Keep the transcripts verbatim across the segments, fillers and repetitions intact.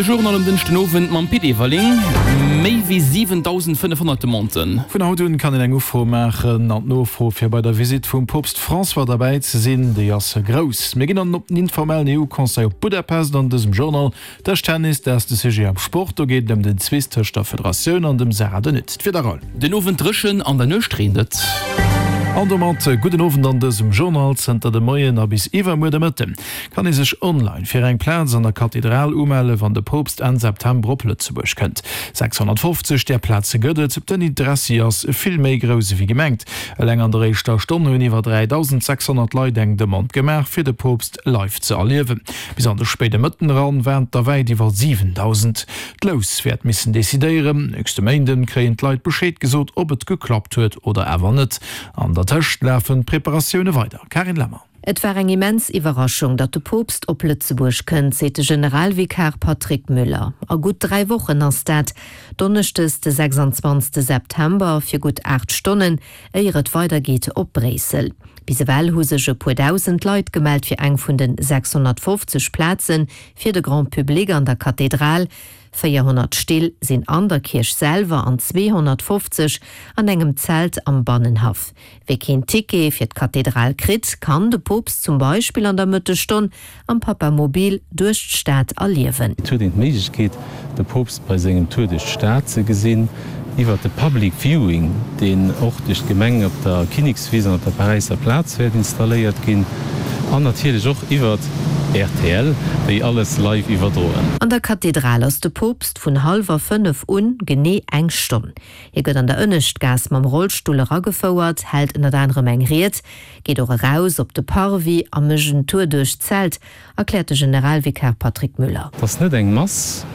De Journal um Dënschden Owend mam Pit Everling. Méi wéi siwendausendfënnefhonnert Demanden. Vun haut un kann een eng Ufro maachen an d'Nofro fir bei der Visitt vum Poopst François derbäi ze sinn, déi ass grouss. Mir ginn dann op den informellen E U-Conseil op Budapest an dësem Journal. Dëschtennis, dat ass de Sujet am Sport. Do geet et ëm den Zwist tëscht der Federatioun an dem Sarah De Nutte. D'Wieder, Raoul. Den Owend dréchen, an der Nuecht reent et. An domat gudden Owend an dësem Journal. Zënter de Moien a bis iwwermuer de Mëtte kann ee sech online fir eng Plaz an der Kathedral umelle wann de Poopst Enn September op Lëtzebuerg kënnt. sechshonnertfofzeg där Plaze gëtt et. Den Interessi ass vill méi grouss ewéi gemengt. Eleng an der éischter Stonn hunn iwwer dräidausend sechshonnert Leit eng Demande gemaach fir de Poopst live ze erliewen. Bis an de spéide Mëtten eran waren et der wäit iwwer siwendausend. D'Lous wäert missen decidéieren. Nächste Méinden kréien d'Leit Bescheed gesot, ob et geklappt huet oder awer net. An der Tëscht lafen d'Preparatioune weider. Carine Lemmer. Et war eng immens Iwwerraschung, datt de Poopst op Lëtzebuerg kënnt, seet de Generalvikar Patrick Müller. A gutt dräi Wochen ass dat, Donneschdes de sechsanzwanzegste September, fir gutt aacht Stonnen, éier et weidergeet op Bréissel. Bis ewell hu sech e puer dausend Leit gemellt fir eng vun de sechshonnertfofzeg Plaze fir de Grand Public an der Kathedral. Véierhonnert Still sinn an der Kierch selwer an zweehonnertfofzeg an engem Zelt am Bannenhaff. Wie keen Ticket fir d'Kathedral kritt, kann de Poopst zum Beispill an der Mëttesstonn am Papamobil duerch d'Stad erliewen. Et huet een d'Méiglechkeet, de Poopst bei sengem Tour duerch d'Stad ze gesinn, iwwert de Public Viewing, deen och duerch d'Gemeng op der Kinnekswiss an op der Paräisser Plaz wäert installéiert ginn, an natierlech och iwwert R T L, déi alles live iwwerdroen. An der Kathedral ass de Poopst vun hallwer fënnef un, genee eng Stonn. Hie gëtt an der Ënneschtgaass mam Rollstull eragefouert, hält ënnert anerem eng Ried, geet och eraus op de Parvis a mécht en Tour duerch d'Zelt, erkläert de Generalvikar Patrick Müller. Et ass net eng Mass,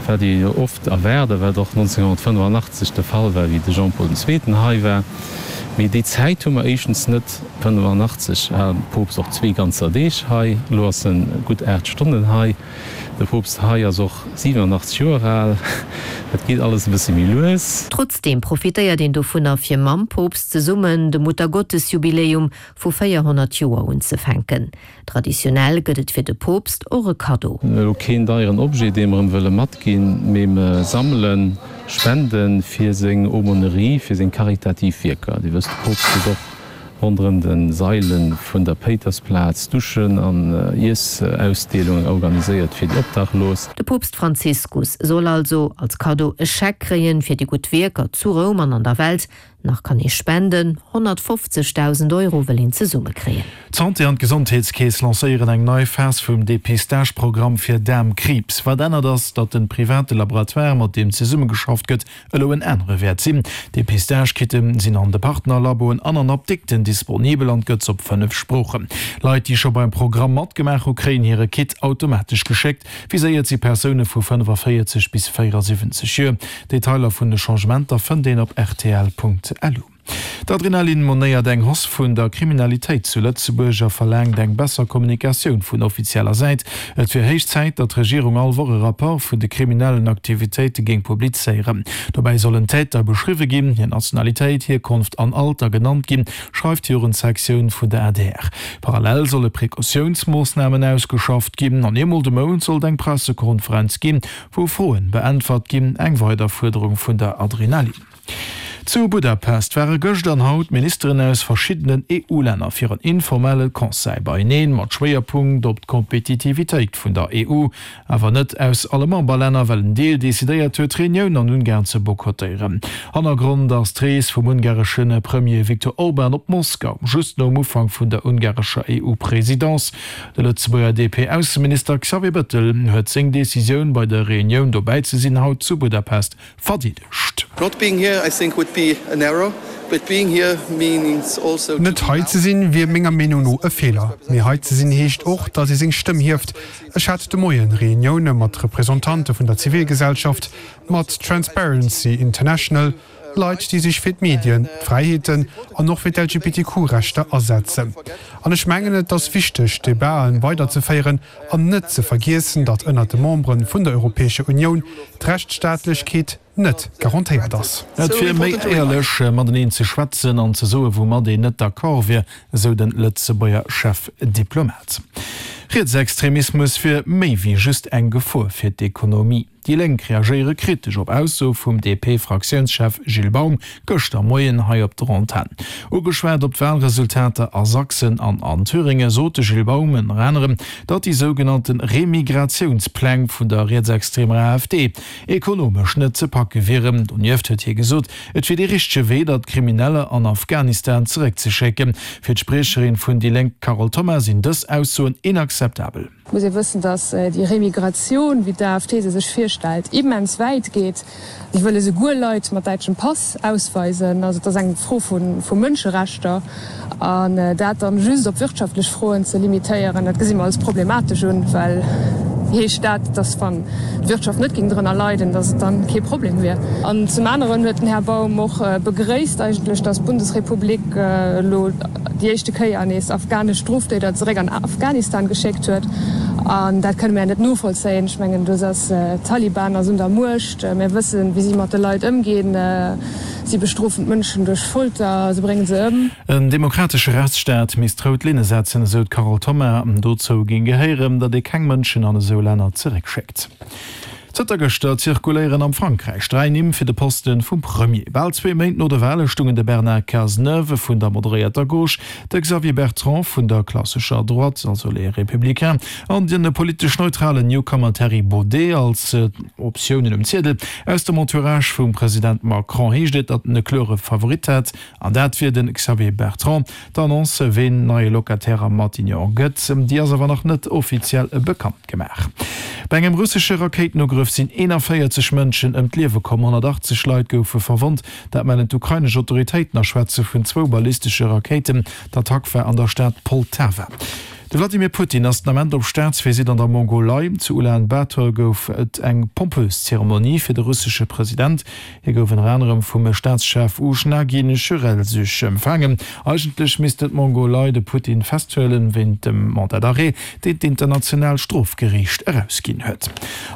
wat ee jo oft erwaart a wat och nonzénghonnertfënnefanachtzeg de Fall war, wéi de Jean-Paul den Zweeten hei war. Mee déi Zäit hu mer éischtens net. Fënnefanachtzeg war de Poopst och zwee ganzer Deeg hei, elo ass en gutt aacht Stonnen hei. De Poopst hei ass och siwenanachtzeg Joer al, dat geet alles e bësse méi lues. Trotzdeem profitéiert een dovunner, fir mam Poopst zesummen de Muttergottesjubiläum vu véierhonnert Joer unzefänken. Traditionell gëtt et fir de Poopst och e Kaddo. Elo keen deieren Objet, dee mer em wëlle matginn, mee mer sammele Spende fir seng Aumônerie, fir seng karitativ Wierker. Dir wësst, de Poopst huet och ronderëm de Saile vun der Péitersplaz Duschen an Iessausdeelungen organiséiert fir déi Obdachlos. De Poopst Franziskus soll also als Kaddo e Scheck kréien, fir déi gutt Wierker zu Roum an an der Welt. Nach kann ee spenden, honnertfofzegdausend Euro wëll een zesummekréien. D'Santé an d'Gesondheetskeess lancéieren eng nei Phas vum Depistage-Programm fir Daarmkriibs. Wat ännert ass, datt de private Laboratoire, mat deem zesummegeschafft gëtt, elo en anere wäert sinn. Depistage-Kitte sinn an de Partnerlaboen an an Apdikten disponibel an gëtt op fënnef Sproochen. Leit, déi scho beim Programm matgemaach hu kréien hire Kit automatesch geschéckt. Viséiert si Persoune vu fënnefavéierzeg bis véierasiwwenzeg Joer. Detailer vun de Changementer fënnt een op R T L Punkt L U. D'Adrenalin monéiert eng Hausse vun der Kriminalitéit zu Lëtzebuerg a verlaangt eng besser Kommunikatioun vun offizieller Säit. Et wier héich Zäit, datt d'Regierung all Woch e Rapport vun de kriminellen Aktivitéite géing publizéieren. Dobäi sollen Täter beschriwwe ginn, hir Nationalitéit, Hierkonft an Alter genannt ginn, schreift d'Jugendsektioun vun der A D R. Parallel solle Precautiounsmoossnamen ausgeschafft ginn an eemol de Mount sollt eng Pressekonferenz ginn, wou Froen beäntwert ginn, eng weider Fuerderung vun der Adrenalin. Zu Budapest ware gëscht an haut Ministeren aus verschiddenen E U-Länner fir en informelle Conseil beieneen mat Schwéierpunkt op d'Kompetitivitéit vun der E U, awer net aus alle Memberlänner, well en Deel decidéiert huet, d'Reunioun an Ungarn ze boykottéieren. Hannergrond ass d'Rees vum ungaresche Premier Viktor Orban op Moskau, just nom Ufank vun der ungarescher E U-Presidence. De Lëtzebuerger D P-Ausseminister Xavier Bettel huet seng Decisioun bei der Reunioun dobäi ze sinn haut zu Budapest verdeedegt. Not being here, I think, would be an error, but being here means also Net hei ze sinn, wier menger Meenung no e Feeler. Mee hei ze sinn heescht och, datt ee seng Stëmm hieft. Ech hat de Moien Reunioune mat Representante vun der Zivilgesellschaft, mat Transparency International, Leit, déi sech fir d'Medien, d'Fräiheeten an och fir d'L G B T Q-Rechter asetzen. An ech mengen, et ass wichteg, Debaten weiderzeféieren an net ze vergiessen, datt ënner de Membere vun der Europäescher Unioun d'Rechtsstaatlechkeet net garantéiert ass. Et wier méi éierlech mateneen ze schwätzen an ze soen, woumat een net d'accord wier, esou de Lëtzebuerger Chefdiplomat. Rietsextremismus wier méi wéi just eng Gefor fir d'Ekonomie. Déi Lénk reagéiere kritesch op Aussoe vum D P-Fraktiounschef Gilles Baum gëschter Moien hei op der Antenn. Ugeschwat op d'Walresultater a Sachsen an an Thüringe sot de Gilles Baum ënner anerem, datt déi sougenannte Remigratiounspläng vun der rietsextremer A F D ekonomesch net ze packe wieren. Donieft huet hie gesot, et wier dee richtege Wee, datt Krimineller an Afghanistan zeréckzeschécken. Fir d'Spriecherin vun déi Lénk Carole Thoma sinn dës Aussoen inakzeptabel. Muss ee wëssen, datt déi Remigratioun, wéi d'A F D se sech virstellt, immens wäit geet. Si wëlle souguer Leit mat däitschem Pass ausweisen. Also et ass eng Fro vu vu Mënscherechter. An dat dann just op wirtschaftlech Froen ze limitéieren, dat gesi mer als problematesch un, well heescht dat, datt wann d'Wirtschaft net géing drënner leiden, datt et dann kee Problem wier. An zum aneren huet den Här Baum och begréisst eigentlech, datt d'Bundesrepublik elo déi éischte Kéier nees afghanesch Stroftäter zeréck an Afghanistan geschéckt huet. An dat kënne mir net novollzéien. Ech mengen, do ass d'Taliban ass un der Muecht. Mir wëssen, wéi si mat de Leit ëmginn. Si bestrofen d'Mënschen duerch Folter, se brénge se ëm. En demokratesche Rechtsstaat misst rout Linne setzen, esou d'Carole Thoma. Dozou géing gehéieren, datt ee keng Mënschen an esou Länner zeréckschéckt. Zënter gëschter zirkuléieren am Frankräich dräi Nimm fir de Poste vum Premier. Bal zwee Méint no de Wale stungen de Bernard Cazeneuve vun der moderéierter Gauche, de Xavier Bertrand vun der klassescher Droite, also Les Républicains, an den politesch neutralen Newcomer Thierry Baudet als Optiounen um Ziedel. Aus dem Entourage vum President Macron heescht et, datt en e klore Favorit hätt, an dat wier de Xavier Bertrand. D'Annonce, ween neie Locataire am Matignon gëtt, déi ass awer nach net offiziell bekannt gemaach. Bei engem russesche Rakéitenugrëff sinn eenanvéierzeg Mënschen ëm d'Liewe komm, honnertachtzeg Leit goufe verwonnt. Dat mellen d'ukrainesch Autoritéiten a schwätze vun zwou ballistesche Rakéiten. D'Attack war an der Stad Poltawa. De Vladimir Putin ass den Ament op Staatsvisitt an der Mongolei. Zu Ulan Bator gouf et eng pompös Zeremonie fir de russesche President. Hie gouf ënner anerem vum Staatschef Uchnagin Chürelsüch empfaangen. Eigentlech misst d'Mongolei de Putin festhuelen, wéint dem Mandat d'arrêt, deen d'Internationaalt Strofgeriicht erausginn huet.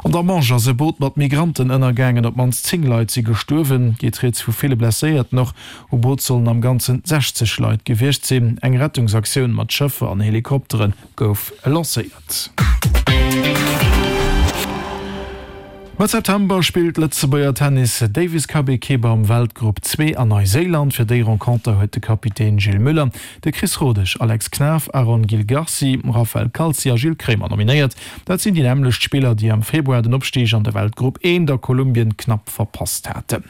An der Manche ass e Boot mat Migranten ënnergaangen, op d'mannst zéng Leit si gestuerwen, geet rieds vu ville Blesséierten. Och u Boot sollen am Ganzen sechzeg Leit gewiescht sinn. Eng Rettungsaktioun mat Schëffer an Helikoptere gouf lancéiert. Mëtt September spillt d'Lëtzebuerger Tennis Davis Cup Ekipp am Weltgrupp zwee an Neuséiland. Fir déi Renconter huet de Kapitän Gilles Müller de Chris Rodesch, Alex Knaff, Aaron Gil Garci, Raphael Calzi a Gilles Kremer nominéiert. Dat sinn déi nämmlecht Spiller, déi am Februar den Opstig an de Weltgrupp eent a Kolumbien knapp verpasst haten.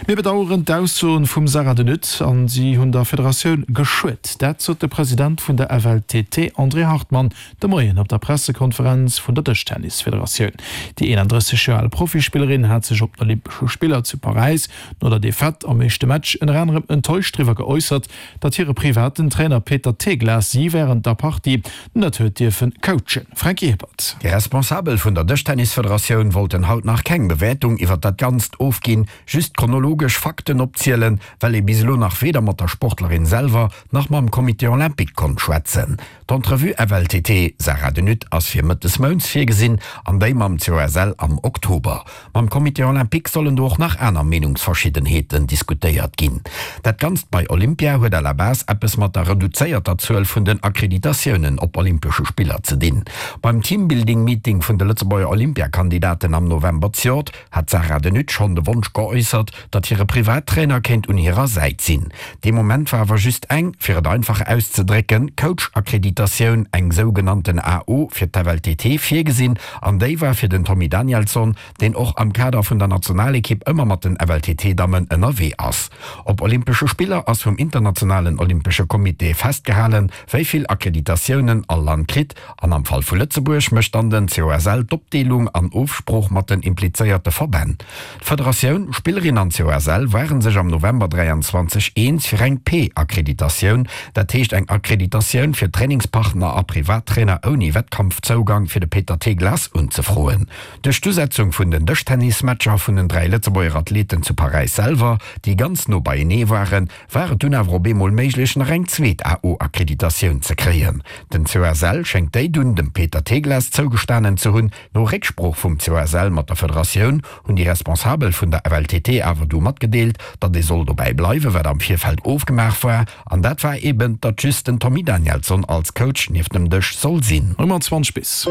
Mir bedaueren d'Aussoen vum Sarah de Nutte an si hunn der Federatioun geschuet. Dat sot de President vun der F L T T André Hartmann de Moien op der Pressekonferenz vun der Dëschtennisfederatioun. Déi eenandrësseg Joer al Profispillerin hat sech op den Olympesche Spiller zu Paräis no der Defaite am éischte Match ënner anerem enttäuscht driwwer geäussert, datt hire privaten Trainer Peter Teglas si wärend der Partie net huet dierfen coachen. Franky Hippert. Déi Responsabel vun der Dëschtennisfederatioun wollten haut nach keng Bewäertung iwwer dat Ganzt ofginn, just chronologesch Fakten opzielen, well ee bis elo nach weder mat der Sportlerin selwer nach mam Comité Olympique konnt schwätzen. D'Entrevue F L T T Sarah de Nutte ass fir Mëtt des Mounts virgesinn an déi mam C O S L am Oktober. Mam Comité Olympique sollen do och nach aner Meenungsverschiddenheeten diskutéiert ginn. Dat Ganzt bei Olympia huet à la base eppes mat der reduzéierter Zuel vun den Akkreditatiounen op Olympesche Spiller ze dinn. Beim Teambuilding-Meeting vun de Lëtzebuerger Olympiakandidaten am November zejoert hat d'Sarah de Nutte schonn de Wonsch geäussert, datt hire Privattrainer kéint un hirer Säit sinn. Dee Moment war awer just eng, fir et einfach auszedrécken, Coach-Akkreditatioun, eng sougenannten A O fir d'F L T T virgesinn an déi war fir den Tommy Danielsson, deen och am Kader vun der Nationalekipp ëmmer mat den F L T T-Dammen ënnerwee ass. Op Olympesche Spiller ass vum Internationalen Olympesche Comité festgehalen, wéi vill Akkreditatiounen all Land kritt an am Fall vu Lëtzebuerg mécht dann den C O S L d'Opdeelung an Ofsprooch mat den implizéierte Verbänn. D'Federatioun, Spillerin an C O S L ware sech am November dräianzwanzeg eens fir eng P-Akkreditatioun, dat heescht eng Akkreditatioun fir Trainingspartner a Privattrainer ouni Wettkampfzougang fir de Peter Teglas unzefroen. Duerch d'Usetzung vun den Dëschtennismatcher vun den dräi Lëtzebuerger Athleten zu Paräis selwer, déi ganz no beienee waren, war et dunn awer op eemol méiglech nach eng zweet A O-Akkreditatioun ze kréien. Den C O S L schéngt déi dunn dem Peter Teglas zougestanen ze hunn. No Récksprooch vum C O S L mat der Federatioun hunn déi Responsabel vun der F L T T awer du matgedeelt, datt ee soll dobäi bleiwen, wat am Virfeld ofgemaach war. An dat war eben, datt just den Tommy Danielsson als Coach nieft dem Dësch soll sinn. Ëmmer zwanzeg bis.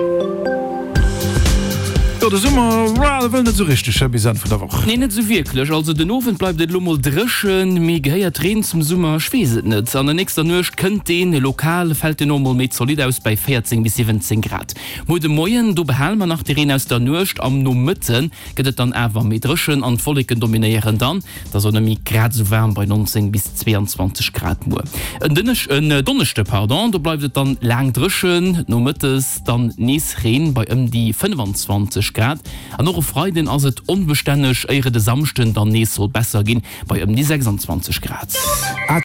Jo, de Summer, well, wëll net esou richteg, hä, bis Enn vun der Woch. Nee, net esou wierklech. Also den Owend bleift et elo mol dréchen, mee gehéiert Reen zum Summer? Ech weess et net. An der nächster Nuecht kënnt deen, lokal fält en och mol méi zolidd aus bei véierzéng bis siwwenzéng Grad. Muer de Moien, do behale mer nach de Reen aus der Nuecht, am Nomëtte gëtt et dann awer méi dréchen an d'Wolleken dominéieren dann. Et ass och net méi grad esou waarm bei nonzéng bis zweeanzwanzeg Grad muer. En Dënnesch, en Donneschde, pardon, do bleift et dann laang dréchen, nomëttes dann nees Reen bei ëm déi fënnefanzwanzeg Grad an och e Freiden ass et onbestänneg, éier et e Samschden dann nees soll besser ginn bei ëm déi sechsandzwanzeg Grad.